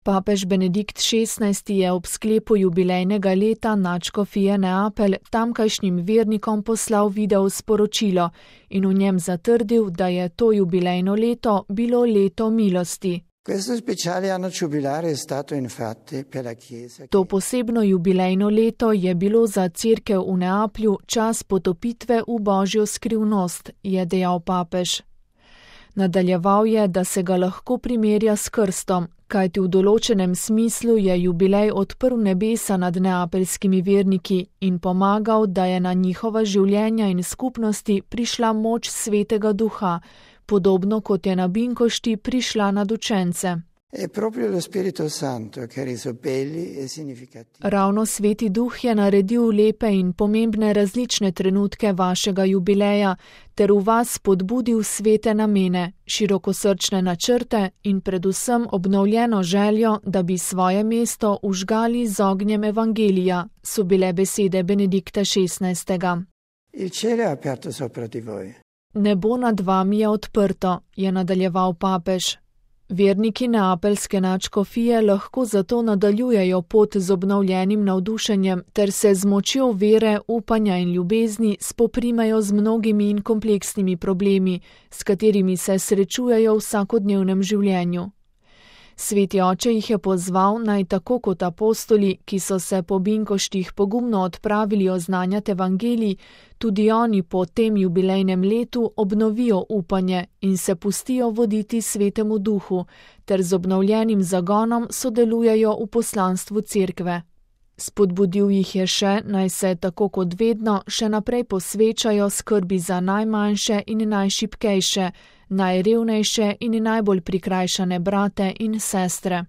Papež Benedikt XVI je ob sklepu jubilejnega leta nadškofije Neapelj tamkajšnjim vernikom poslal video sporočilo in v njem zatrdil, da je to jubilejno leto bilo leto milosti. To posebno jubilejno leto je bilo za cerkev v Neaplju čas potopitve v božjo skrivnost, je dejal papež. Nadaljeval je, da se ga lahko primerja s krstom, kajti v določenem smislu je jubilej odprl nebesa nad neapeljskimi verniki in pomagal, da je na njihova življenja in skupnosti prišla moč Svetega Duha, podobno kot je na Binkošti prišla nad učence. Ravno Sveti Duh je naredil lepe in pomembne različne trenutke vašega jubileja ter v vas spodbudil svete namene, širokosrčne načrte in predvsem obnovljeno željo, da bi svoje mesto užgali z ognjem evangelija, so bile besede Benedikta XVI. Nebo nad vami je odprto, je nadaljeval papež. Verniki neapeljske nadškofije lahko zato nadaljujejo pot z obnovljenim navdušenjem ter se z močjo vere, upanja in ljubezni spoprimejo z mnogimi in kompleksnimi problemi, s katerimi se srečujejo v vsakodnevnem življenju. Sveti oče jih je pozval, naj tako kot apostoli, ki so se po Binkoštih pogumno odpravili oznanjati evangelij, tudi oni po tem jubilejnem letu obnovijo upanje in se pustijo voditi Svetemu Duhu, ter z obnovljenim zagonom sodelujejo v poslanstvu cerkve. Spodbudil jih je še, naj se tako kot vedno še naprej posvečajo skrbi za najmanjše in najšibkejše, najrevnejše in najbolj prikrajšane brate in sestre.